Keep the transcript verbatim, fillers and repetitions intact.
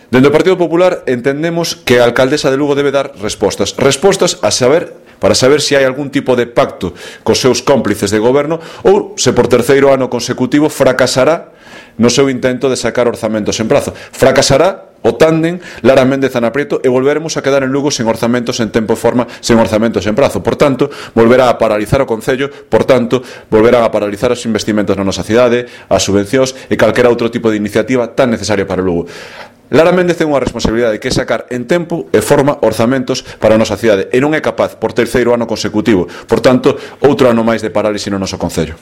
Dende o Partido Popular entendemos que a alcaldesa de Lugo debe dar respostas. Respostas a saber, para saber se hai algún tipo de pacto cos seus cómplices de goberno ou se por terceiro ano consecutivo fracasará no seu intento de sacar orzamentos en prazo. Fracasará o tándem Lara Méndez Ana Prieto e volveremos a quedar en Lugo sen orzamentos en tempo e forma, sen orzamentos en prazo. Por tanto, volverá a paralizar o Concello, por tanto, volverán a paralizar os investimentos na nosa cidade, as subvencións e calquera outro tipo de iniciativa tan necesaria para Lugo. Lara Méndez ten unha responsabilidade que é sacar en tempo e forma orzamentos para a nosa cidade e non é capaz por terceiro ano consecutivo. Por tanto, outro ano máis de parálise no noso Concello.